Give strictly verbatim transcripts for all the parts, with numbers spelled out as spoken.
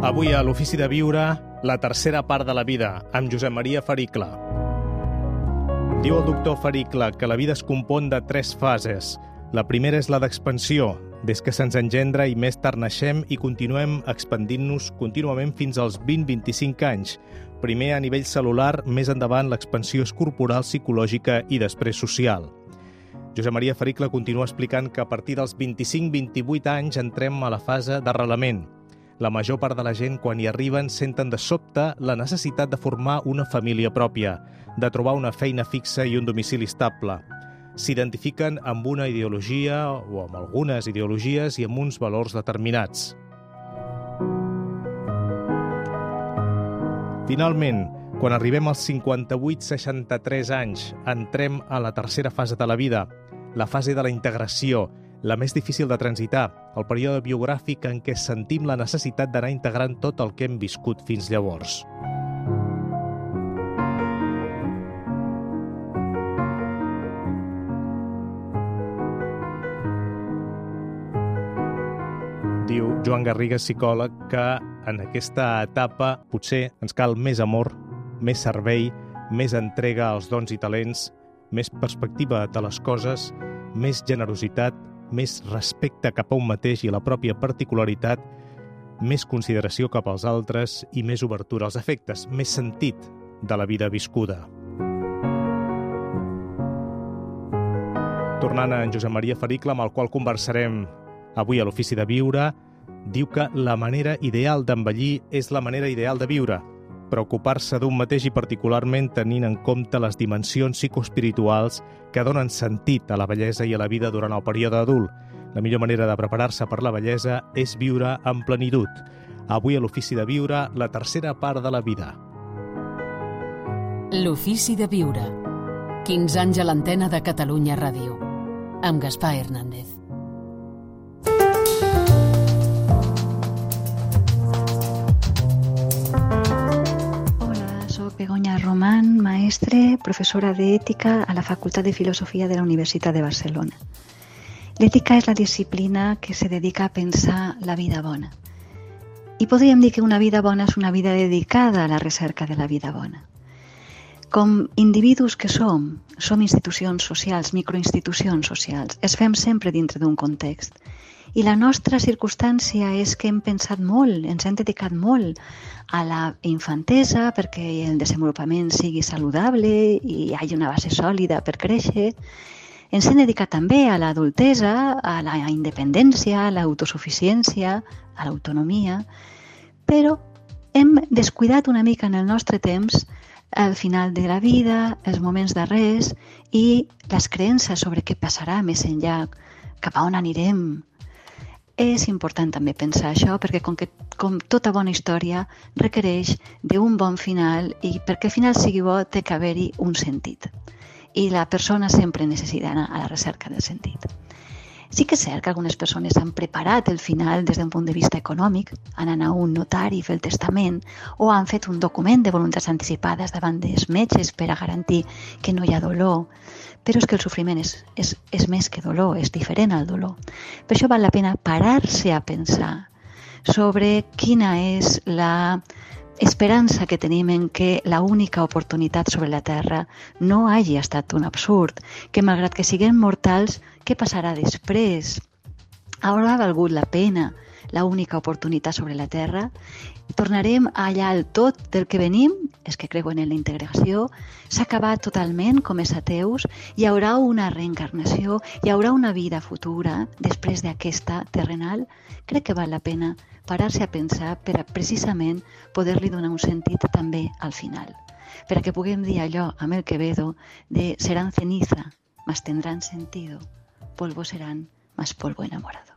Avui a l'Ofici de Viure, la tercera part de la vida, amb Josep Maria Faricle. Diu el doctor Faricle que la vida es compon de tres fases. La primera és la d'expansió, des que se'ns engendra i més tard naixem i continuem expandint-nos contínuament fins als vint a vint-i-cinc anys. Primer a nivell celular, més endavant l'expansió és corporal, psicològica i després social. Josep Maria Faricle continua explicant que a partir dels vint-i-cinc a vint-i-vuit anys entrem a la fase d'arrelament. La major part de la gent, quan hi arriben, senten de sobte la necessitat de formar una família pròpia, de trobar una feina fixa i un domicili estable. S'identifiquen amb una ideologia o amb algunes ideologies i amb uns valors determinats. Finalment, quan arribem als cinquanta-vuit a seixanta-tres anys, entrem a la tercera fase de la vida, la fase de la integració, la més difícil de transitar, el període biogràfic en què sentim la necessitat d'anar integrant tot el que hem viscut fins llavors. Diu Joan Garriga, psicòleg, que en aquesta etapa potser ens cal més amor, més servei, més entrega als dons i talents, més perspectiva de les coses, més generositat, més respecte cap a un mateix i la pròpia particularitat, més consideració cap als altres i més obertura als afectes, més sentit de la vida viscuda. Tornant a en Josep Maria Faricle, amb el qual conversarem avui a l'Ofici de Viure, diu que la manera ideal d'envellir és la manera ideal de viure, preocupar-se d'un mateix i particularment tenint en compte les dimensions psicoespirituals que donen sentit a la bellesa i a la vida durant el període adult. La millor manera de preparar-se per la bellesa és viure en plenitud. Avui a l'Ofici de Viure, la tercera part de la vida. L'Ofici de Viure. quinze anys a l'antena de Catalunya Ràdio. Amb Gaspar Hernández. Begoña Román, maestre, professora d'Ètica a la Facultat de Filosofia de la Universitat de Barcelona. L'ètica és la disciplina que se dedica a pensar la vida bona. I podríem dir que una vida bona és una vida dedicada a la recerca de la vida bona. Com individus que som, som institucions socials, microinstitucions socials, es fem sempre dintre d'un context. I la nostra circumstància és que hem pensat molt, ens hem dedicat molt a la infantesa perquè el desenvolupament sigui saludable i hi hagi una base sòlida per créixer. Ens hem dedicat també a l'adultesa, a la independència, a l'autosuficiència, a l'autonomia, però hem descuidat una mica en el nostre temps el final de la vida, els moments darrers i les creences sobre què passarà més enllà, cap a on anirem. És important també pensar això perquè com, que, com tota bona història requereix d'un bon final i perquè el final sigui bo té que haver-hi un sentit. I la persona sempre necessita anar a la recerca del sentit. Sí que és cert que algunes persones han preparat el final des d'un punt de vista econòmic, han anat a un notari a fer el testament o han fet un document de voluntats anticipades davant dels metges per a garantir que no hi ha dolor. Però és que el sofriment és, és, és més que dolor, és diferent al dolor. Per això val la pena parar-se a pensar sobre quina és la esperança que tenim en que l'única oportunitat sobre la Terra no hagi estat un absurd, que malgrat que siguem mortals, què passarà després? Haurà valgut la pena l'única oportunitat sobre la Terra? Tornarem allà al tot del que venim, és que creuen en la integració, s'ha acabat totalment com els ateus, hi haurà una reencarnació, hi haurà una vida futura després d'aquesta terrenal? Crec que val la pena parar-se a pensar per a precisament poder-li donar un sentit també al final. Per a que puguem dir allò amb el Quevedo de serán ceniza, mas tendrán sentido, polvo serán, mas polvo enamorado.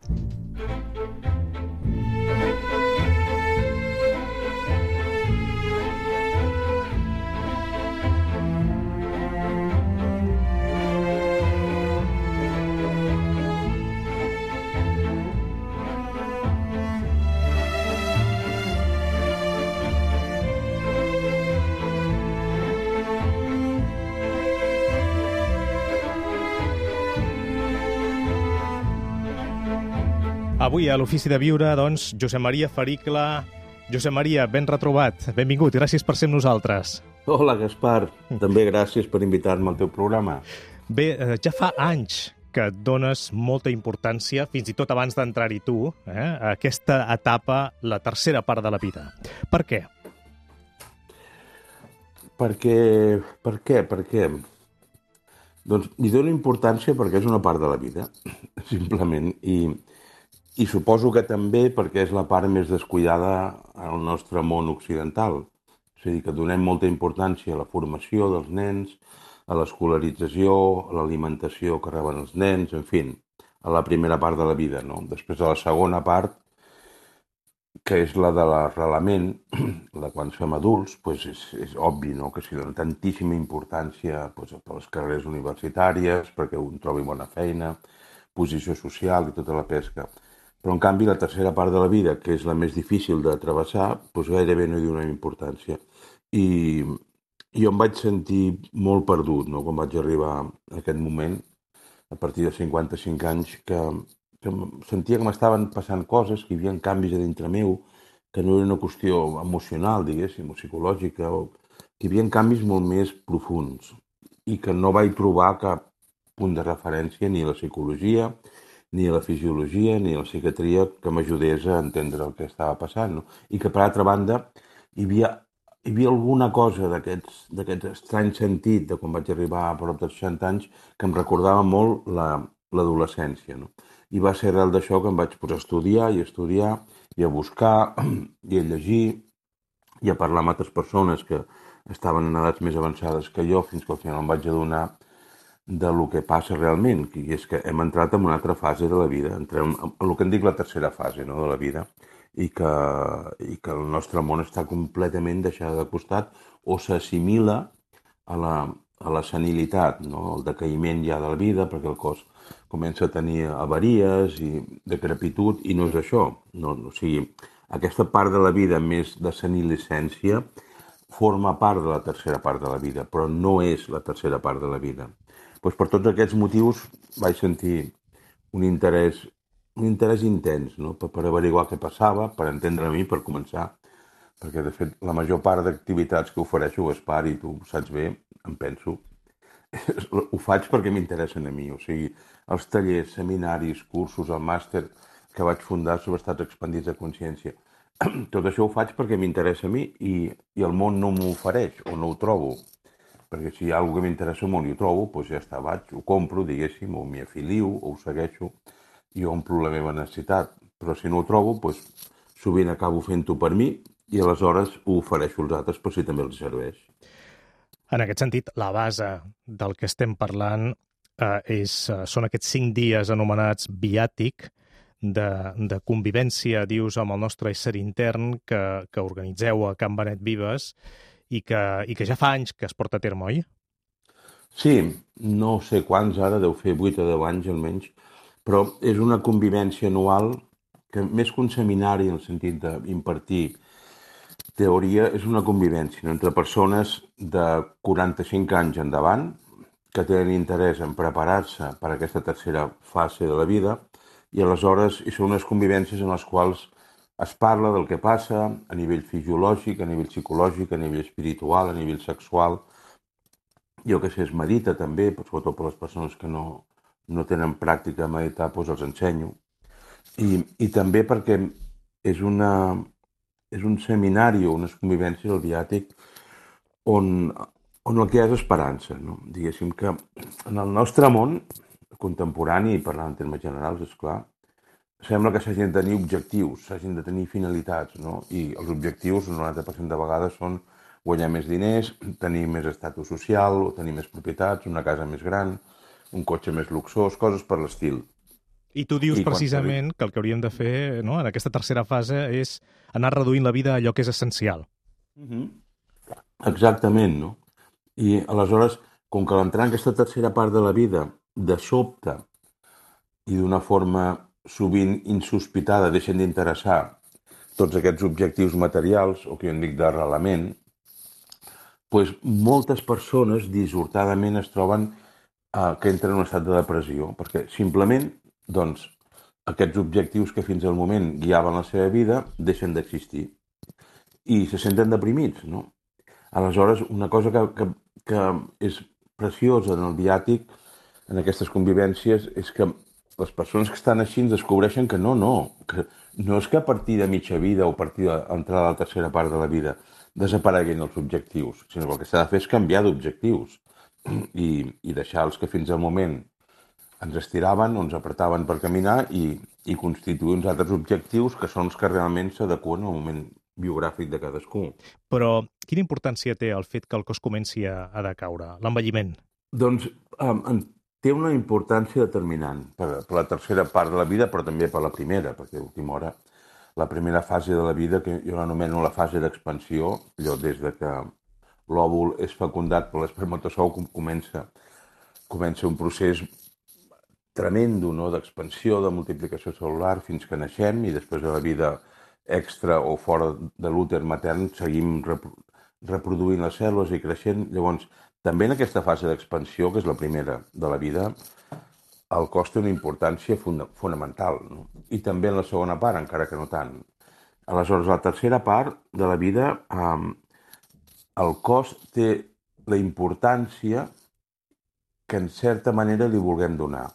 Avui a l'Ofici de Viure, doncs, Josep Maria Faricle Josep Maria, ben retrobat. Benvingut, gràcies per ser amb nosaltres. Hola, Gaspar. També gràcies per invitar-me al teu programa. Bé, ja fa anys que et dones molta importància, fins i tot abans d'entrar-hi tu, eh, a aquesta etapa, la tercera part de la vida. Per què? Perquè... Per què? Per què? Doncs li dono importància perquè és una part de la vida, simplement, i, i suposo que també perquè és la part més descuidada al nostre món occidental. És a dir, que donem molta importància a la formació dels nens, a l'escolarització, a l'alimentació que reben els nens, en fi, a la primera part de la vida, no? Després a la segona part, que és la de l'arrelament, la quan som adults, doncs és, és obvi, no?, que s'hi dona tantíssima importància doncs, per les carreres universitàries, perquè un trobi bona feina, posició social i tota la pesca. Però, en canvi, la tercera part de la vida, que és la més difícil de travessar, doncs gairebé no hi donem importància. I jo em vaig sentir molt perdut, no?, quan vaig arribar a aquest moment, a partir de cinquanta-cinc anys, que... que sentia que m'estaven passant coses, que hi havia canvis a dintre meu, que no era una qüestió emocional, diguéssim, o psicològica, o que hi havia canvis molt més profuns i que no vaig trobar cap punt de referència ni a la psicologia, ni a la fisiologia, ni a la psiquiatria que m'ajudés a entendre el que estava passant, no? I que, per altra banda, hi havia, hi havia alguna cosa d'aquest estrany sentit de quan vaig arribar a prop de seixanta anys que em recordava molt l'adolescència, no? I va ser arrel d'això que em vaig posar a estudiar i a estudiar i a buscar i a llegir i a parlar amb altres persones que estaven en edats més avançades que jo, fins que al final em vaig adonar de lo que passa realment, i és que hem entrat en una altra fase de la vida, entrem en el que en dic la tercera fase, no?, de la vida, i que, i que el nostre món està completament deixat de costat o s'assimila a la, a la senilitat, no?, el decaïment ja de la vida, perquè el cos comença a tenir avaries i decrepitud, i no és això. No, o sigui, aquesta part de la vida més de senilescència forma part de la tercera part de la vida, però no és la tercera part de la vida. Doncs per tots aquests motius vaig sentir un interès, un interès intens, no?, per, per averiguar què passava, per entendre a mi, per començar, perquè de fet la major part d'activitats que ofereixo, Gaspar, i tu saps bé, em penso, ho faig perquè m'interessen a mi, o sigui, els tallers, seminaris, cursos, el màster que vaig fundar sobre estats expandits de consciència. Tot això ho faig perquè m'interessa a mi i, i el món no m'ho ofereix o no ho trobo. Perquè si hi ha alguna cosa que m'interessa molt i ho trobo, doncs ja està, vaig, ho compro, diguéssim, o m'hi afilio, o ho segueixo i omplo la meva necessitat. Però si no ho trobo, doncs sovint acabo fent-ho per mi i aleshores ho ofereixo als altres per si també els serveix. En aquest sentit, la base del que estem parlant eh, és, són aquests cinc dies anomenats viàtic de, de convivència, dius, amb el nostre ésser intern que, que organitzeu a Can Benet Vives i que, i que ja fa anys que es porta a terme, oi? Sí, no sé quants ara, deu fer vuit o deu anys almenys, però és una convivència anual que més que un seminari en el sentit d'impartir teoria, és una convivència entre persones de quaranta-cinc anys endavant que tenen interès en preparar-se per a aquesta tercera fase de la vida i aleshores hi són unes convivències en les quals es parla del que passa a nivell fisiològic, a nivell psicològic, a nivell espiritual, a nivell sexual. Jo que sé, es medita també, sobretot per les persones que no, no tenen pràctica a meditar, doncs els ensenyo. I, i també perquè és una... és un seminari o unes convivències al viàtic on, on el que hi ha és esperança, no? Diguéssim que en el nostre món contemporani, i parlant en termes generals, esclar, sembla que s'hagin de tenir objectius, s'hagin de tenir finalitats, no? I els objectius, el noranta per cent de vegades, són guanyar més diners, tenir més estatus social, o tenir més propietats, una casa més gran, un cotxe més luxós, coses per l'estil. I tu dius I precisament que el que hauríem de fer, no?, en aquesta tercera fase és anar reduint la vida a allò que és essencial. Mm-hmm. Exactament, no? I aleshores, com que l'entrar en aquesta tercera part de la vida, de sobte i d'una forma sovint insospitada, deixen d'interessar tots aquests objectius materials, o que jo en dic d'arrelament, doncs moltes persones dissortadament es troben eh, que entren en un estat de depressió, perquè simplement doncs, aquests objectius que fins al moment guiaven la seva vida deixen d'existir. i se senten deprimits, no? Aleshores, una cosa que, que, que és preciosa en el viàtic, en aquestes convivències, és que les persones que estan així ens descobreixen que no, no, que no és que a partir de mitja vida o a partir d'entrar a la tercera part de la vida desapareguin els objectius, sinó que el que s'ha de fer és canviar d'objectius i, i deixar els que fins al moment ens estiraven o ens apretaven per caminar i, i constituir uns altres objectius que són els que realment s'adeqüen al moment biogràfic de cadascú. Però quina importància té el fet que el cos comenci a, a decaure, l'envelliment? Doncs um, té una importància determinant per, per la tercera part de la vida, però també per la primera, perquè a última hora la primera fase de la vida, que jo l'anomeno la fase d'expansió, allò des de que l'òvul és fecundat per l'espermatozou comença, comença un procés tremendo, no?, d'expansió, de multiplicació celular fins que naixem i després de la vida extra o fora de l'úter matern seguim reproduint les cèl·lules i creixent. Llavors, també en aquesta fase d'expansió, que és la primera de la vida, el cos té una importància funda fonamental, no? I també en la segona part, encara que no tant. Aleshores, la tercera part de la vida, eh, el cos té la importància que en certa manera li vulguem donar.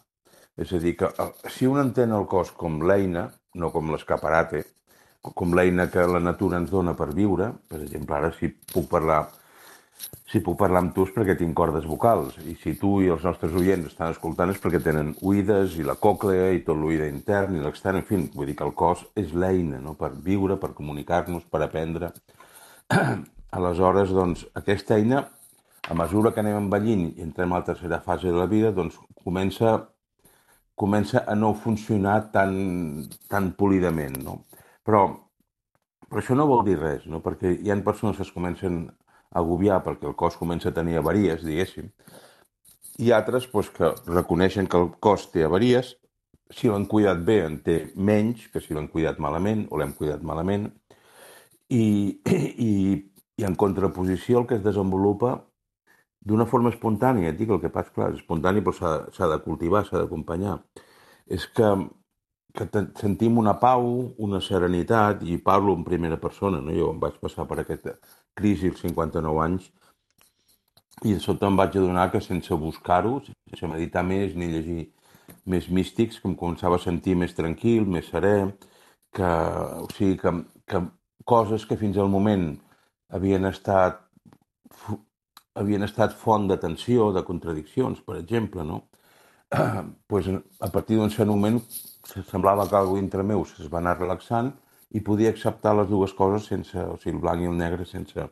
És a dir, que si un entén el cos com l'eina, no com l'escaparate, com l'eina que la natura ens dona per viure, per exemple, ara si puc parlar si puc parlar amb tu és perquè tinc cordes vocals, i si tu i els nostres oients estan escoltant és perquè tenen oïdes i la còclea i tot l'oïda intern i l'extern, en fi, vull dir que el cos és l'eina, no?, per viure, per comunicar-nos, per aprendre. Aleshores, doncs, aquesta eina, a mesura que anem envellint i entrem a la tercera fase de la vida, doncs comença, comença a no funcionar tan, tan polidament, no? Però, però això no vol dir res, no?, perquè hi ha persones que es comencen a agobiar perquè el cos comença a tenir avaries, diguéssim, i altres doncs, que reconeixen que el cos té avaries, si l'han cuidat bé en té menys que si l'han cuidat malament o l'hem cuidat malament, i, i, i en contraposició el que es desenvolupa d'una forma espontània, et dic el que passa, clar, és espontani però s'ha de cultivar, s'ha d'acompanyar, és que que sentim una pau, una serenitat, i parlo en primera persona, no? Jo em vaig passar per aquesta crisi als cinquanta-nou anys i de sobte em vaig adonar que sense buscar-ho, sense meditar més ni llegir més místics, que em començava a sentir més tranquil, més serè, que, o sigui, que, que coses que fins al moment havien estat, havien estat font de tensió, de contradiccions, per exemple, no? Pues, a partir d'un cert moment semblava que alguna dintre meu es va anar relaxant i podia acceptar les dues coses sense, o sigui, el blanc i el negre, sense,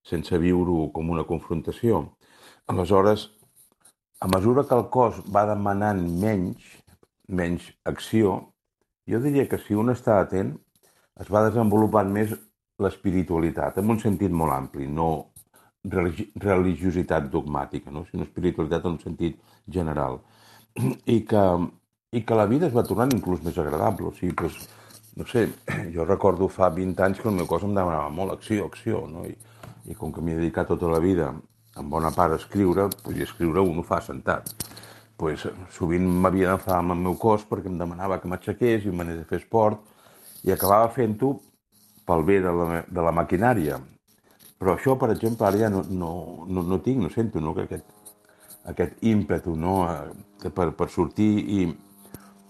sense viure-ho com una confrontació. Aleshores, a mesura que el cos va demanant menys, menys acció, jo diria que si un està atent, es va desenvolupant més l'espiritualitat, en un sentit molt ampli, no religi religiositat dogmàtica, no? Sinó espiritualitat en un sentit general. I que, i que la vida es va tornant inclús més agradable. O sigui, doncs, no sé, jo recordo fa vint anys que el meu cos em demanava molt acció, acció, no? I, i com que m'he dedicat tota la vida, en bona part, a escriure, doncs, i escriure un ho fa sentat. Pues, sovint m'havia d'enfadar amb el meu cos perquè em demanava que m'aixequés i m'anés a fer esport, i acabava fent-ho pel bé de la, de la maquinària. Però això, per exemple, ara ja no, no, no, no tinc, no sento, no? Que aquest, aquest ímpetu, no? per, per sortir i,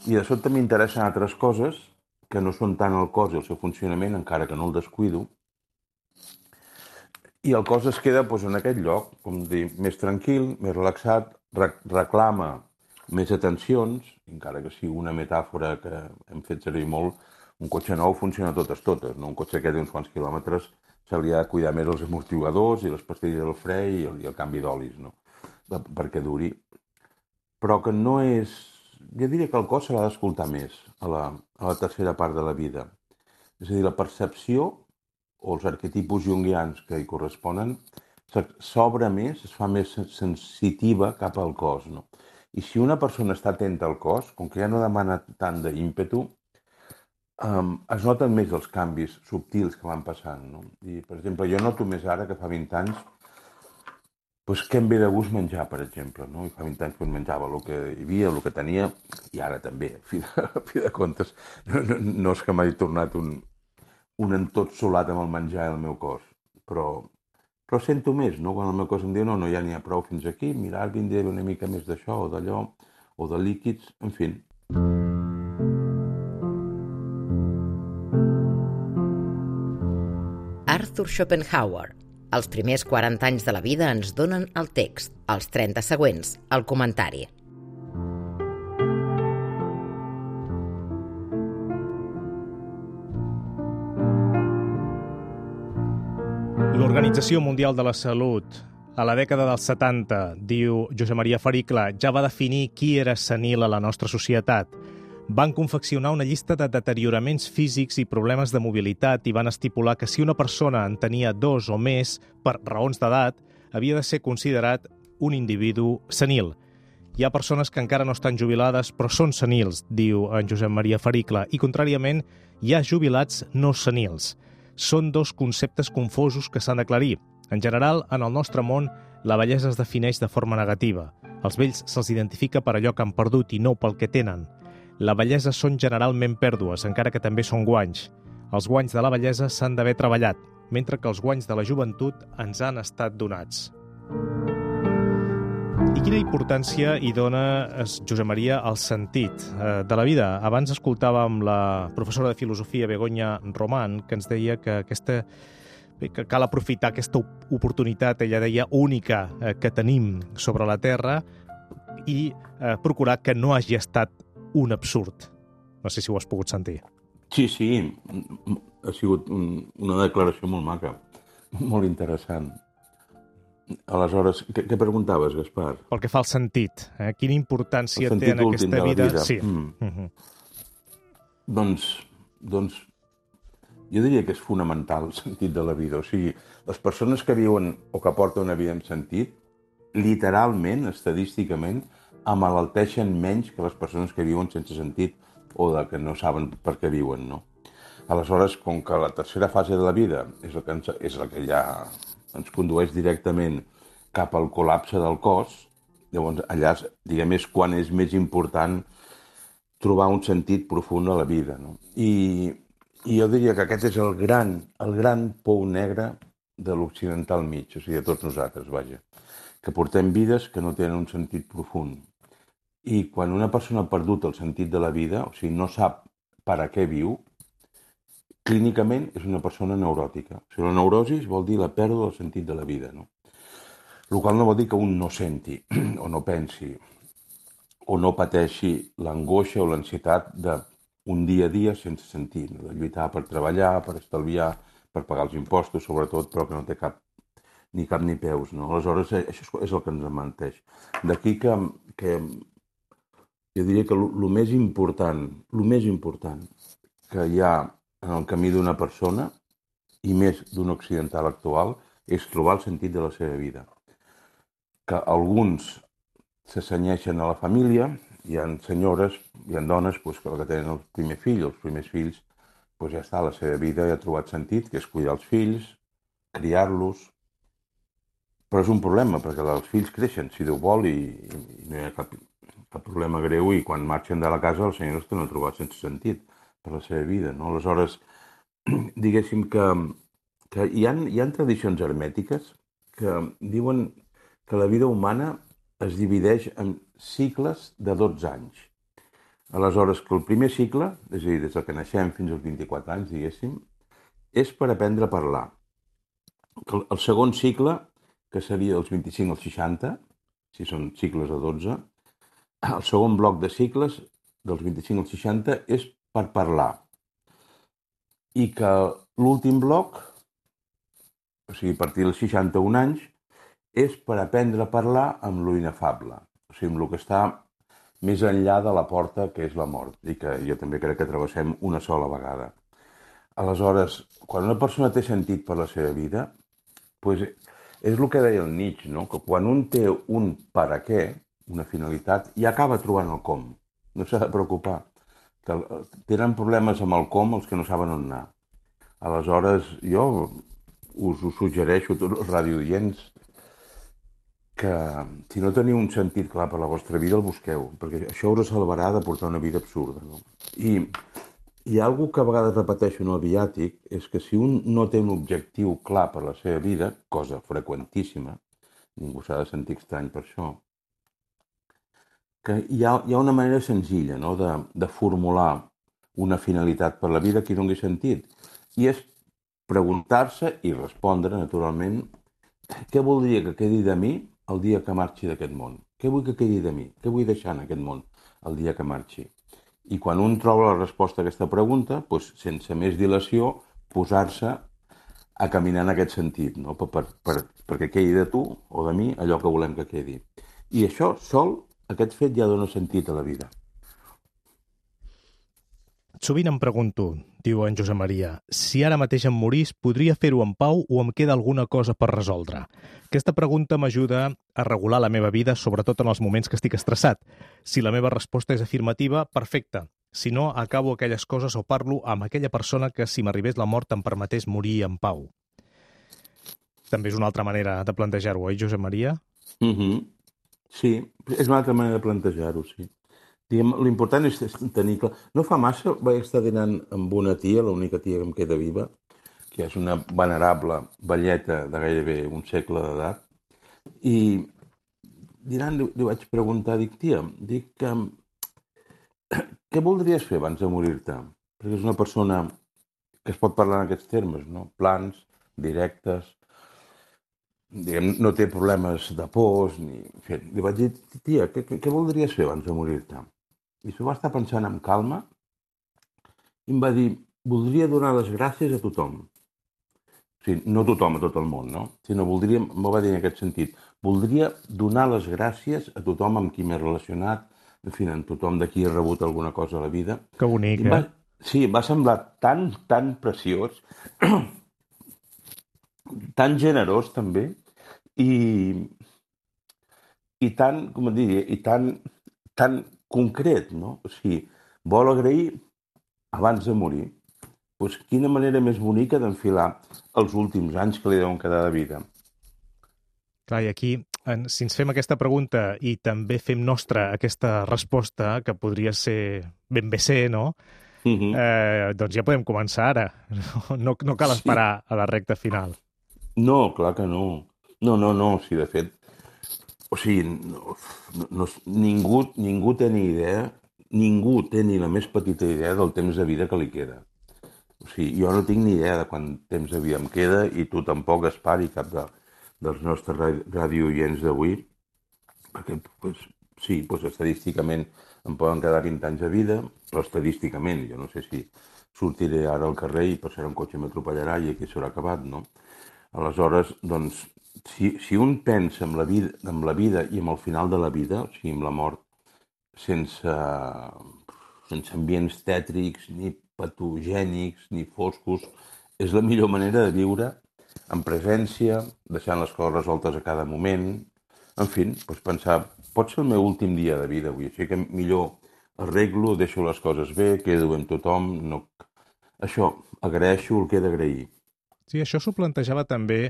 i de sobte m'interessen altres coses que no són tant el cos i el seu funcionament, encara que no el descuido, i el cos es queda doncs, en aquest lloc, com dir, més tranquil, més relaxat, rec reclama més atencions, encara que sigui una metàfora que hem fet servir molt, un cotxe nou funciona totes, totes, no? Un cotxe que té uns quants quilòmetres se li ha de cuidar més els amortiguadors i les pastilles del fre i el, i el canvi d'olis, no? Perquè duri. Però que no és... Jo diria que el cos se l'ha d'escoltar més a la, a la tercera part de la vida. És a dir, la percepció o els arquetipus junguians que hi corresponen s'obre més, es fa més sensitiva cap al cos, no? I si una persona està atenta al cos, com que ja no demana tant d'ímpetu, um, es noten més els canvis subtils que van passant, no? I, per exemple, jo noto més ara que fa vint anys pues, què em ve de gust menjar, per exemple, no? I fa vint anys pues, menjava el que hi havia, el que tenia, i ara també, a fi de, a fi de comptes. No, no, no és que m'hagi tornat un, un entotsolat amb el menjar i el meu cos. Però, però sento més, no? Quan el meu cos em diu no, no, ja n'hi ha prou fins aquí, mira, ara vindré una mica més d'això o d'allò, o de líquids, en fi. Arthur Schopenhauer. Els primers quaranta anys de la vida ens donen el text, els trenta següents, el comentari. L'Organització Mundial de la Salut, a la dècada dels setanta, diu Josep Maria Fericla, ja va definir qui era senil a la nostra societat. Van confeccionar una llista de deterioraments físics i problemes de mobilitat i van estipular que si una persona en tenia dos o més, per raons d'edat, havia de ser considerat un individu senil. Hi ha persones que encara no estan jubilades, però són senils, diu en Josep Maria Fericla, i contràriament hi ha jubilats no senils. Són dos conceptes confosos que s'han d'aclarir. En general, en el nostre món, la vellesa es defineix de forma negativa. Als vells se'ls identifica per allò que han perdut i no pel que tenen. La vellesa són generalment pèrdues, encara que també són guanys. Els guanys de la vellesa s'han d'haver treballat, mentre que els guanys de la joventut ens han estat donats. I quina importància hi dona, Josep Maria, el sentit eh, de la vida? Abans escoltàvem la professora de filosofia Begoña Román, que ens deia que aquesta que cal aprofitar aquesta oportunitat, ella deia, única eh, que tenim sobre la Terra i eh, procurar que no hagi estat un absurd. No sé si ho has pogut sentir. Sí, sí, ha sigut un, una declaració molt maca, molt interessant. Aleshores, què, què preguntaves, Gaspar? Pel que fa al sentit, eh? Quina importància té en aquesta vida? vida? Sí. Mm. Uh-huh. Doncs, doncs, jo diria que és fonamental el sentit de la vida. O sigui, les persones que viuen o que porten una vida amb sentit, literalment, estadísticament, amalalteixen menys que les persones que viuen sense sentit o de que no saben per què viuen, no? Aleshores, com que la tercera fase de la vida és la que, ens, és la que ja ens condueix directament cap al col·lapse del cos, llavors allà, diguem, és quan és més important trobar un sentit profund a la vida, no? I, i jo diria que aquest és el gran, el gran pou negre de l'occidental mig, o sigui, de tots nosaltres, vaja, que portem vides que no tenen un sentit profund. I quan una persona ha perdut el sentit de la vida, o sigui, no sap per a què viu, clínicament és una persona neuròtica. O sigui, la neurosi vol dir la pèrdua del sentit de la vida, no? El qual no vol dir que un no senti, o no pensi, o no pateixi l'angoixa o l'ansietat d'un dia a dia sense sentit, de lluitar per treballar, per estalviar, per pagar els impostos, sobretot, però que no té cap ni cap ni peus, no? Aleshores, això és el que ens menteix. D'aquí que, que jo diria que el més important, el més important que hi ha en el camí d'una persona, i més d'un occidental actual, és trobar el sentit de la seva vida. Que alguns se cenyeixen a la família, hi ha senyores, hi ha dones pues, que tenen el primer fill, els primers fills, pues, ja està, la seva vida ja ha trobat sentit, que és cuidar els fills, criar-los. Però és un problema, perquè els fills creixen, si Déu vol, i, i no hi ha cap, cap problema greu, i quan marxen de la casa els senyors tenen trobat sense sentit per la seva vida, no? Aleshores, diguéssim que, que hi ha, hi ha tradicions hermètiques que diuen que la vida humana es divideix en cicles de dotze anys. Aleshores, que el primer cicle, és a dir, des que naixem fins als vint-i-quatre anys, diguéssim, és per aprendre a parlar. El segon cicle, que seria dels vint-i-cinc als seixanta, si són cicles de dotze, el segon bloc de cicles, dels vint-i-cinc als seixanta, és per parlar. I que l'últim bloc, o sigui, a partir dels seixanta-un anys, és per aprendre a parlar amb lo inefable, o sigui, amb el que està més enllà de la porta que és la mort, i que jo també crec que travessem una sola vegada. Aleshores, quan una persona té sentit per la seva vida, doncs és el que deia el Nietzsche, no? Que quan un té un per a què, una finalitat, ja acaba trobant el com. No s'ha de preocupar. Que tenen problemes amb el com els que no saben on anar. Aleshores, jo us ho suggereixo a tots els radioients que si no teniu un sentit clar per la vostra vida, el busqueu, perquè això us salvarà de portar una vida absurda, no? I, hi ha alguna que a vegades repeteixo en el viàtic, és que si un no té un objectiu clar per la seva vida, cosa freqüentíssima, ningú s'ha de sentir estrany per això, que hi ha, hi ha una manera senzilla, no?, de, de formular una finalitat per la vida que doni sentit. I és preguntar-se i respondre, naturalment, què voldria que quedi de mi el dia que marxi d'aquest món? Què vull que quedi de mi? Què vull deixar en aquest món el dia que marxi? I quan un troba la resposta a aquesta pregunta, doncs, sense més dilació, posar-se a caminar en aquest sentit, no? per, per, per, perquè quedi de tu o de mi allò que volem que quedi. I això sol, aquest fet ja dona sentit a la vida. Sovint em pregunto, diu en Josep Maria, si ara mateix em morís, podria fer-ho en pau o em queda alguna cosa per resoldre? Aquesta pregunta m'ajuda a regular la meva vida, sobretot en els moments que estic estressat. Si la meva resposta és afirmativa, perfecte. Si no, acabo aquelles coses o parlo amb aquella persona que, si m'arribés la mort, em permetés morir en pau. També és una altra manera de plantejar-ho, oi, Josep Maria? Mm-hmm. Sí, és una altra manera de plantejar-ho, sí. L'important és tenir clar... No fa massa vaig estar dinant amb una tia, l'única tia que em queda viva, que és una venerable velleta de gairebé un segle d'edat, i dinant li, li vaig preguntar, dic, tia, dic, um, què voldries fer abans de morir-te? Perquè és una persona que es pot parlar en aquests termes, no? Plans, directes, diguem, no té problemes de pors, ni... En fi, li vaig dir, tia, què, què voldries fer abans de morir-te? I s'ho va estar pensant amb calma i em va dir, voldria donar les gràcies a tothom. O sigui, no tothom, a tot el món, no? Sinó voldria, m'ho va dir en aquest sentit, voldria donar les gràcies a tothom amb qui m'he relacionat, en fi, a tothom de qui he rebut alguna cosa a la vida. Que bonic, va, eh? Sí, va semblar tan, tan preciós, tan generós també, i, i tan, com et diria, i tan, tan concret, no? O sigui, vol agrair abans de morir. Doncs quina manera més bonica d'enfilar els últims anys que li deuen quedar de vida. Clar, i aquí, si ens fem aquesta pregunta i també fem nostra aquesta resposta, que podria ser ben bé ser, no? Uh-huh. eh, doncs ja podem començar ara. No, no cal esperar sí. a la recta final. No, clar que no. No, no, no. O sigui, de fet, o sigui, no, no, ningú, ningú té ni idea, ningú té ni la més petita idea del temps de vida que li queda. O sigui, jo no tinc ni idea de quant temps de vida em queda i tu tampoc, Espari, cap de, dels nostres radiooients d'avui, perquè, pues, sí, pues, estadísticament em poden quedar vint anys de vida, però estadísticament, jo no sé si sortiré ara al carrer i passaré un cotxe i m'atropellarà i aquí s'haurà acabat, no? Aleshores, doncs, Si, si un pensa en la, vida, en la vida i en el final de la vida, o sigui, amb la mort, sense, sense ambients tètrics, ni patogènics, ni foscos, és la millor manera de viure en presència, deixant les coses resoltes a cada moment. En fi, doncs pensar, pot ser el meu últim dia de vida avui, així que millor arreglo, deixo les coses bé, quedo amb tothom. No... Això, agraeixo el que he d'agrair. Sí, això s'ho plantejava també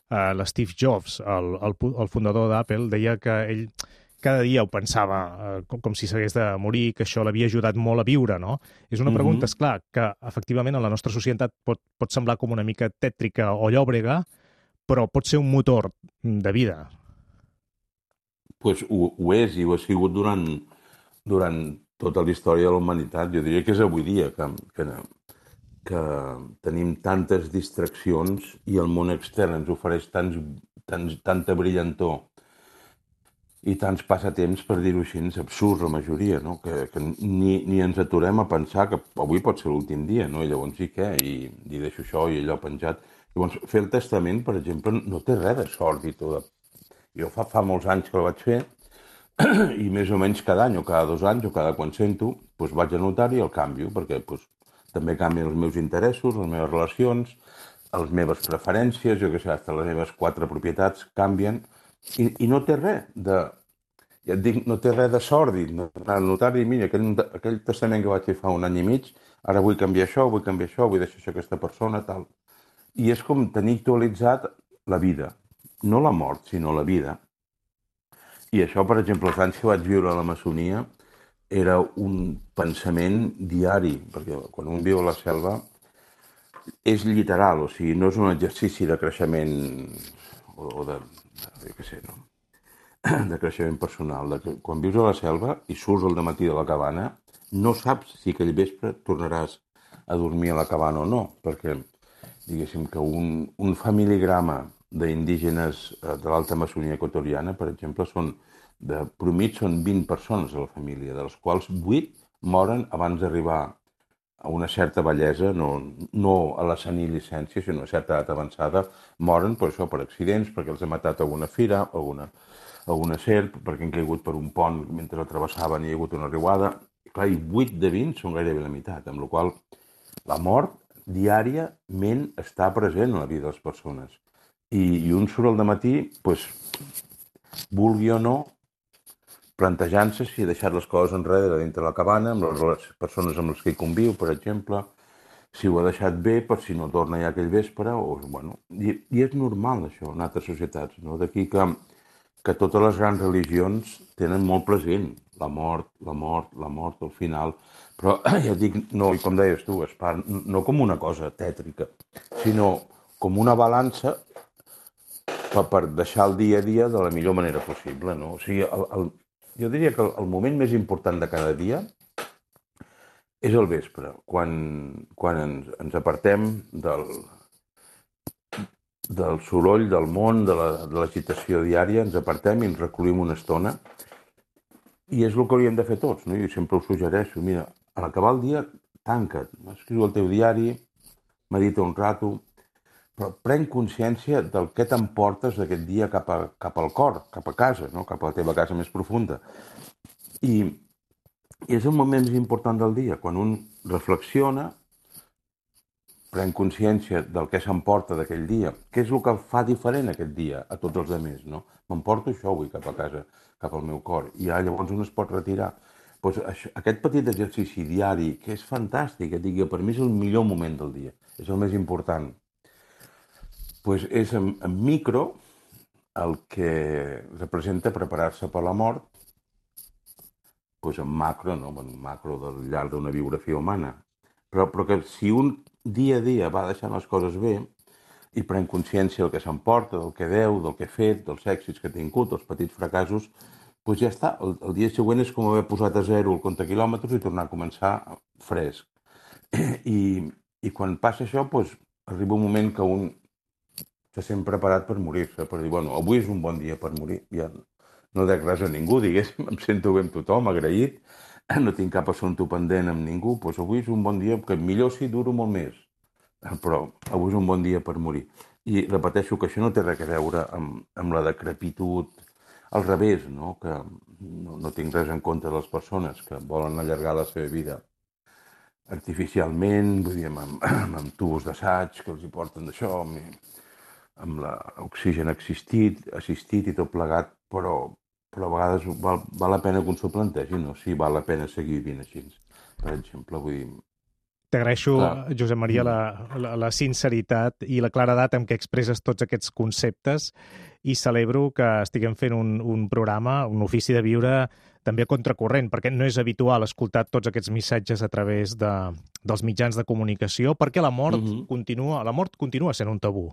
Uh, l'Steve Jobs, el, el, el fundador d'Apple, deia que ell cada dia ho pensava uh, com, com si s'hagués de morir, que això l'havia ajudat molt a viure, no? És una pregunta, mm-hmm. esclar, que efectivament en la nostra societat pot, pot semblar com una mica tètrica o llòbrega, però pot ser un motor de vida. Pues ho, ho és, i ho ha sigut durant, durant tota la història de la humanitat. Jo diria que és avui dia que... que que tenim tantes distraccions i el món extern ens ofereix tants, tants, tanta brillantor i tants passatemps, per dir-ho així, absurds la majoria, no? que, que ni, ni ens aturem a pensar que avui pot ser l'últim dia, no? I llavors sí què? I, i deixo això i allò penjat. Llavors, fer el testament, per exemple, no té res de sòrdid. De... Jo fa, fa molts anys que el vaig fer i més o menys cada any o cada dos anys o cada quan sento, doncs vaig anotar i el canvio, perquè doncs, també canvien els meus interessos, les meves relacions, les meves preferències, jo què sé, fins les meves quatre propietats canvien, i, i no té res de... Ja et dic, no té res de sòrdid. No, el notari, mira, aquell, aquell testament que vaig fer fa un any i mig, ara vull canviar això, vull canviar això, vull deixar això a aquesta persona, tal. I és com tenir actualitzat la vida. No la mort, sinó la vida. I això, per exemple, els anys que vaig viure a la maçonia, era un pensament diari, perquè quan un viu a la selva és literal, o sigui, no és un exercici de creixement o, o de, de, què sé, no? de creixement personal. De que, quan vius a la selva i surts al matí de la cabana, no saps si aquell vespre tornaràs a dormir a la cabana o no, perquè, diguéssim, que un, un familigrama d'indígenes de l'alta Amazònia equatoriana, per exemple, són de promit són vint persones a la família, de les quals vuit moren abans d'arribar a una certa bellesa, no, no a la senil·licència, sinó a certa edat avançada, moren per això, per accidents, perquè els ha matat alguna fira, alguna, alguna serp, perquè han caigut per un pont mentre el travessaven i hi ha hagut una riuada. I, clar, i vuit de vint són gairebé la meitat, amb la qual la mort diàriament està present en la vida de les persones. I, i un surt al dematí, doncs, vulgui o no, plantejant-se si ha deixat les coses enrere dintre la cabana, amb les persones amb les que hi conviu, per exemple, si ho ha deixat bé per si no torna ja aquell vespre, o, bueno, i, i és normal això en altres societats, no? D'aquí que, que totes les grans religions tenen molt present la mort, la mort, la mort al final, però ja dic, no, com deies tu, Gaspar, no com una cosa tètrica, sinó com una balança per, per deixar el dia a dia de la millor manera possible, no? O sigui, el, el, jo diria que el moment més important de cada dia és el vespre, quan, quan ens, ens apartem del, del soroll, del món, de l'agitació la, diària, ens apartem i ens recollim una estona. I és el que hauríem de fer tots, no? Jo sempre ho suggereixo. Mira, a l'acabar el dia, tanca't, escriu el teu diari, medita un rato, però pren consciència del que t'emportes d'aquest dia cap, a, cap al cor, cap a casa, no? Cap a la teva casa més profunda. I, i és el moment més important del dia, quan un reflexiona, pren consciència del que s'emporta d'aquell dia, què és el que fa diferent aquest dia a tots els altres, no? M'emporto això avui cap a casa, cap al meu cor, i ja llavors un es pot retirar. Pues això, aquest petit exercici diari, que és fantàstic, que digui, per mi és el millor moment del dia, és el més important. Pues és en, en micro el que representa preparar-se per la mort, pues en macro, no? En macro del llarg d'una biografia humana. Però, però que si un dia a dia va deixant les coses bé i pren consciència del que s'emporta, del que deu, del que ha fet, dels èxits que ha tingut, dels petits fracassos, pues ja està. El, el dia següent és com haver posat a zero el compte quilòmetres i tornar a començar fresc. I, i quan passa això, pues, arriba un moment que un se sent preparat per morir-se, per dir, bueno, avui és un bon dia per morir, ja no dec res a ningú, diguéssim, em sento bé amb tothom, agraït, no tinc cap assumpte pendent amb ningú, doncs avui és un bon dia, que millor si duro molt més, però avui és un bon dia per morir. I repeteixo que això no té res a veure amb, amb la decrepitud, al revés, no? Que no, no tinc res en contra de les persones que volen allargar la seva vida artificialment, vull dir, amb, amb, amb tubos d'assaig que els hi porten d'això, amb, amb l'oxigen assistit, assistit i tot plegat, però, però a vegades val, val la pena que un s'ho plantegi, no? Si val la pena seguir vivint així, per exemple, vull dir... T'agraeixo, Josep Maria, la, la, la sinceritat i la claredat amb què expresses tots aquests conceptes i celebro que estiguem fent un, un programa, un ofici de viure també a contracorrent, perquè no és habitual escoltar tots aquests missatges a través de, dels mitjans de comunicació, perquè la mort, uh-huh. continua, la mort continua sent un tabú.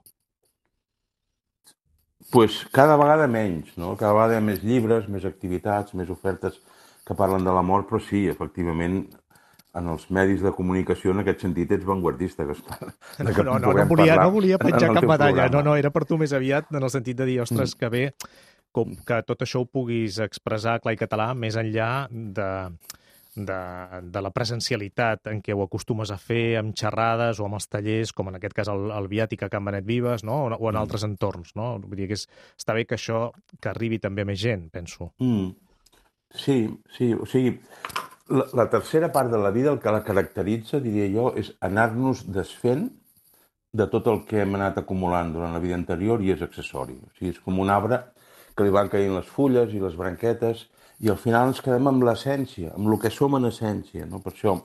Pues cada vegada menys, no? Cada vegada hi ha més llibres, més activitats, més ofertes que parlen de la mort, però sí, efectivament, en els medis de comunicació, en aquest sentit, ets vanguardista, Gaspar. No, no, no, no, volia, no volia penjar cap medalla, no, no, era per tu més aviat, en el sentit de dir, ostres, mm. que bé, com que tot això ho puguis expressar clar i català, més enllà de, de, de la presencialitat en què ho acostumes a fer amb xerrades o amb els tallers, com en aquest cas el, el Viàtic a Can Benet Vives, no? o, o en mm. altres entorns. No? Vull dir que és, està bé que això que arribi també a més gent, penso. Mm. Sí, sí, o sigui, la, la tercera part de la vida, el que la caracteritza, diria jo, és anar-nos desfent de tot el que hem anat acumulant durant la vida anterior i és accessori. O sigui, és com un arbre que li van caient les fulles i les branquetes i al final ens quedem amb l'essència, amb el que som en essència. No? Per això,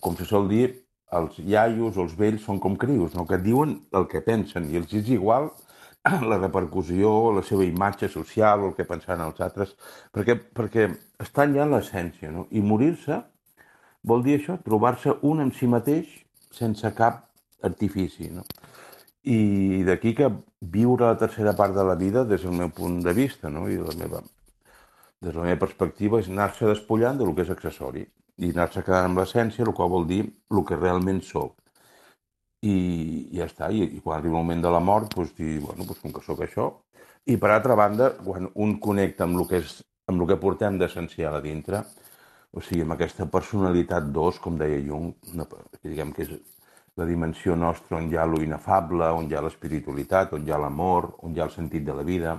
com se sol dir, els iaios o els vells són com crios, no? Que diuen el que pensen i els és igual la repercussió, la seva imatge social, el que pensaran els altres, perquè, perquè estan ja en l'essència, no? I morir-se vol dir això, trobar-se un en si mateix sense cap artifici, no? I d'aquí que viure la tercera part de la vida, des del meu punt de vista, no? I la meva, des de la meva perspectiva, és anar-se despullant del que és accessori i anar-se quedant amb l'essència, el qual vol dir el que realment sóc. I ja està, i, i quan arriba el moment de la mort, doncs dir, bueno, doncs com que sóc això. I per altra banda, quan un connecta amb el que, és, amb el que portem d'essencial a dintre, o sigui, amb aquesta personalitat dos, com deia Jung, una, que diguem que és la dimensió nostra on hi ha lo inefable, on hi ha l'espiritualitat, on hi ha l'amor, on hi ha el sentit de la vida,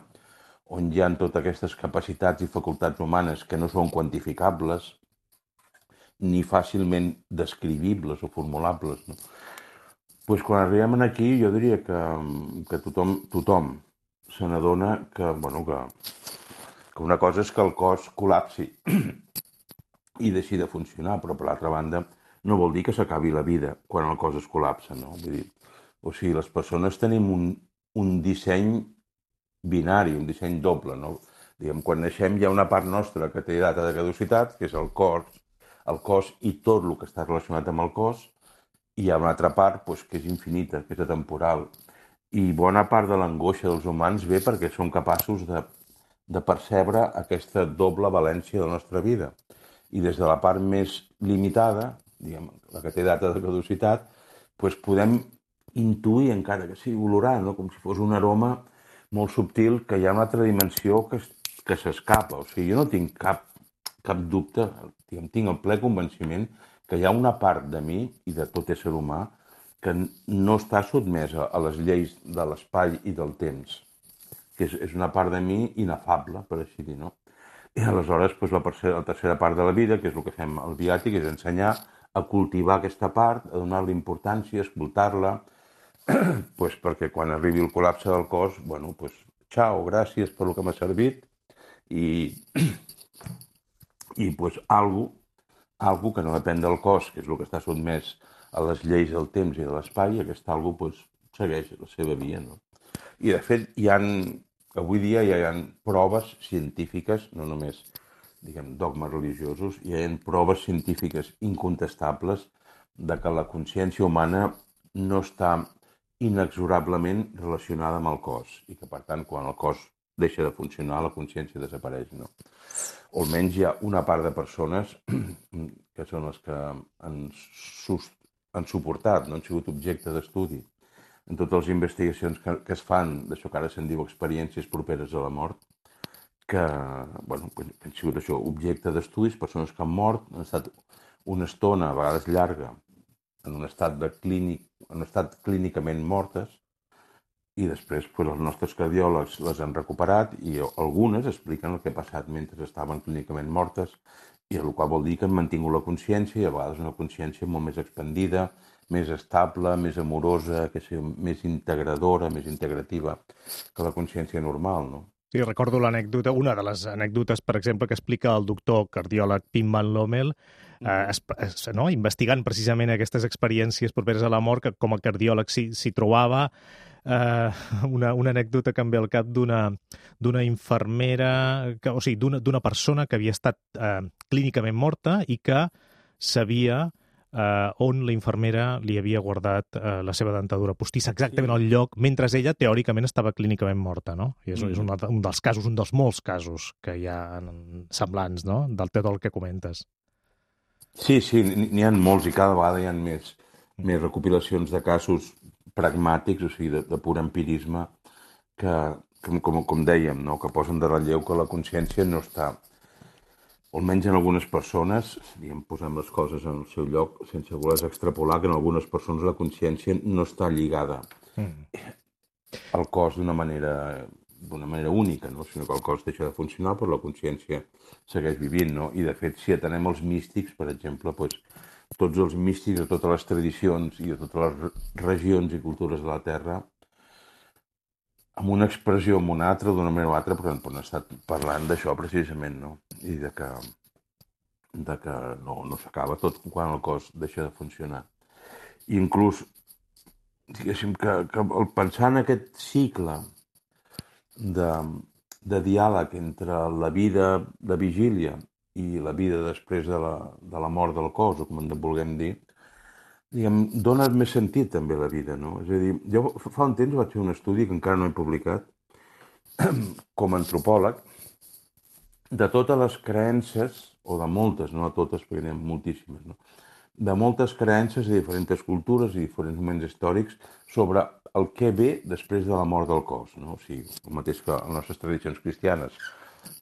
on hi ha totes aquestes capacitats i facultats humanes que no són quantificables, ni fàcilment descrivibles o formulables, no? Pues quan arribem aquí, jo diria que, que tothom, tothom se n'adona que, bueno, que, que una cosa és que el cos col·lapsi i deixi de funcionar, però per l'altra banda no vol dir que s'acabi la vida quan el cos es col·lapsa, no? Vull dir, o sigui, les persones tenim un, un disseny binari, un disseny doble, no? Diguem, quan naixem hi ha una part nostra que té data de caducitat, que és el cos, el cos i tot el que està relacionat amb el cos, i hi ha una altra part doncs, que és infinita, que és atemporal. I bona part de l'angoixa dels humans ve perquè són capaços de, de percebre aquesta doble valència de la nostra vida. I des de la part més limitada, diguem, la que té data de caducitat, doncs podem intuir, encara que sigui olorar, no? Com si fos un aroma molt subtil, que hi ha una altra dimensió que, que s'escapa. O sigui, jo no tinc cap, cap dubte, diguem, tinc el ple convenciment que hi ha una part de mi i de tot ésser humà que no està sotmesa a les lleis de l'espai i del temps, que és, és una part de mi inefable, per així dir, no? I aleshores, doncs, la, tercera, la tercera part de la vida, que és el que fem al viàtic, és ensenyar a cultivar aquesta part, a donar-li importància, a escoltar-la, doncs perquè quan arribi el col·lapse del cos, bueno, doncs, xau, gràcies per el que m'ha servit, i, i doncs, algo, algo que no depèn del cos, que és el que està sotmès a les lleis del temps i de l'espai, aquest algo doncs, segueix la seva via, no? I de fet, hi ha, avui dia hi ha proves científiques, no només diguem, dogmes religiosos, hi ha proves científiques incontestables de que la consciència humana no està inexorablement relacionada amb el cos i que, per tant, quan el cos deixa de funcionar, la consciència desapareix, no? O almenys hi ha una part de persones que són les que han, sus, han suportat, no han sigut objecte d'estudi en totes les investigacions que, que es fan d'això que ara se'n diu experiències properes a la mort, que, bueno, que han sigut això, objecte d'estudis, persones que han mort, han estat una estona, a vegades llarga, en un estat, de clínic, en un estat clínicament mortes, i després pues, els nostres cardiòlegs les han recuperat i algunes expliquen el que ha passat mentre estaven clínicament mortes, i el qual vol dir que han mantingut la consciència, i a vegades una consciència molt més expandida, més estable, més amorosa, que sigui més integradora, més integrativa que la consciència normal, no? Sí, recordo l'anècdota, una de les anècdotes, per exemple, que explica el doctor cardiòleg Pim Van Lommel, eh, es, es, no? investigant precisament aquestes experiències properes a la mort, que com a cardiòleg s'hi, s'hi trobava, eh, una, una anècdota que em ve al cap d'una d'una infermera, que, o sigui, d'una d'una persona que havia estat eh, clínicament morta i que sabia Uh, on la infermera li havia guardat uh, la seva dentadura postissa, exactament sí. al lloc, mentre ella teòricament estava clínicament morta, no? I és, mm. és un, un dels casos, un dels molts casos que hi ha semblants, no?, del tot el que comentes. Sí, sí, n'hi ha molts i cada vegada hi ha més, mm. més recopilacions de casos pragmàtics, o sigui, de, de pur empirisme, que, com, com, com dèiem, no?, que posen de relleu que la consciència no està... almenys en algunes persones, diguem, posem les coses en el seu lloc, sense voler extrapolar, que en algunes persones la consciència no està lligada mm. al cos d'una manera, d'una manera única, no? Sinó que el cos deixa de funcionar, però la consciència segueix vivint, no? I, de fet, si atenem els místics, per exemple, doncs, tots els místics de totes les tradicions i de totes les regions i cultures de la Terra, amb una expressió amb una altra, d'una manera o altra, però han estat parlant d'això precisament, no? I de que, de que no, no s'acaba tot quan el cos deixa de funcionar. I inclús, diguéssim, que, que el pensar en aquest cicle de, de diàleg entre la vida de vigília i la vida després de la, de la mort del cos, o com en vulguem dir, diguem, dona més sentit també a la vida, no? És a dir, jo fa un temps vaig fer un estudi que encara no he publicat, com a antropòleg, de totes les creences, o de moltes, no de totes, perquè n'hi ha moltíssimes, no? De moltes creences de diferents cultures i diferents moments històrics sobre el que ve després de la mort del cos, no? O sigui, el mateix que les nostres tradicions cristianes,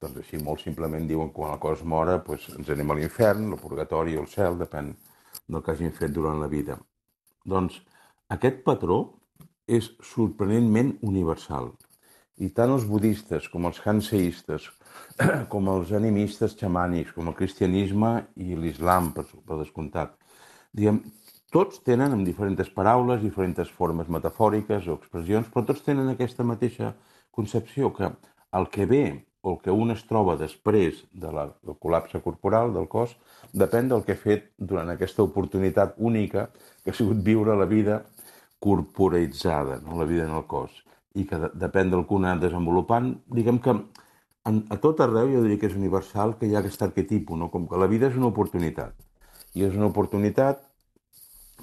doncs així molt simplement diuen que quan el cos mora doncs ens anem a l'infern, al purgatori o al cel, depèn del que hagin fet durant la vida. Doncs aquest patró és sorprenentment universal. I tant els budistes com els hanseistes, com els animistes xamànics, com el cristianisme i l'islam, per, per descomptat, diguem, tots tenen amb diferents paraules, diferents formes metafòriques o expressions, però tots tenen aquesta mateixa concepció, que el que ve o el que un es troba després de la, del col·lapse corporal del cos depèn del que ha fet durant aquesta oportunitat única que ha sigut viure la vida corporalitzada, no? La vida en el cos, i que de, depèn del que un ha desenvolupant. Diguem que en, a tot arreu jo diria que és universal que hi ha aquest arquetipo, no? Com que la vida és una oportunitat, i és una oportunitat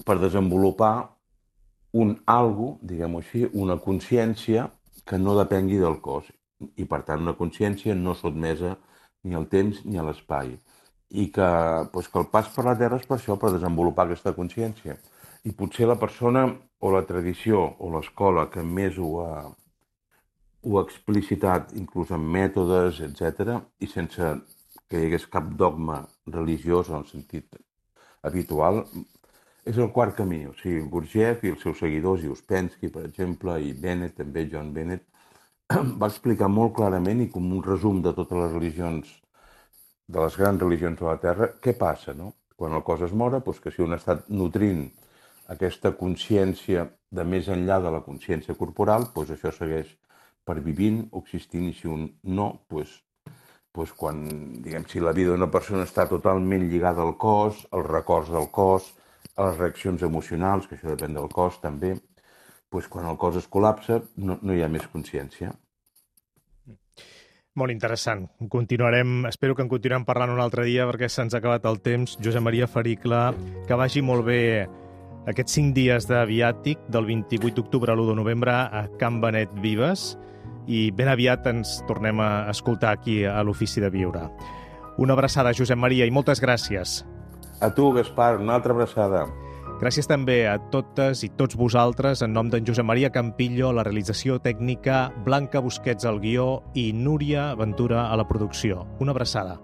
per desenvolupar un algo, diguem-ho així, una consciència que no depengui del cos, i per tant una consciència no sotmesa ni al temps ni a l'espai, i que, doncs, que el pas per la Terra és per això, per desenvolupar aquesta consciència. I potser la persona o la tradició o l'escola que més ho ha, ho ha explicitat, inclús amb mètodes, etcètera, i sense que hi hagués cap dogma religiós en el sentit habitual, és el quart camí. O sigui, Gurdjieff i els seus seguidors, i Ouspensky, per exemple, i Bennett, també John Bennett, va explicar molt clarament i com un resum de totes les religions, de les grans religions de la Terra, què passa, no? Quan el cos es mora, doncs que si un ha estat nutrint aquesta consciència de més enllà de la consciència corporal, doncs això segueix pervivint o existint, i si un no, doncs, doncs quan, diguem, si la vida d'una persona està totalment lligada al cos, als records del cos, a les reaccions emocionals, que això depèn del cos també, doncs quan el cos es col·lapsa no, no hi ha més consciència. Molt interessant. Continuarem, espero que en continuem parlant un altre dia perquè se'ns ha acabat el temps. Josep Maria Fericla, que vagi molt bé aquests cinc dies de viàtic del vint-i-vuit d'octubre a l'u de novembre a Can Benet Vives, i ben aviat ens tornem a escoltar aquí a l'Ofici de Viure. Una abraçada, Josep Maria, i moltes gràcies. A tu, Gaspar, una altra abraçada. Gràcies també a totes i tots vosaltres, en nom d'en Josep Maria Campillo, la realització tècnica, Blanca Busquets al guió i Núria Ventura a la producció. Una abraçada.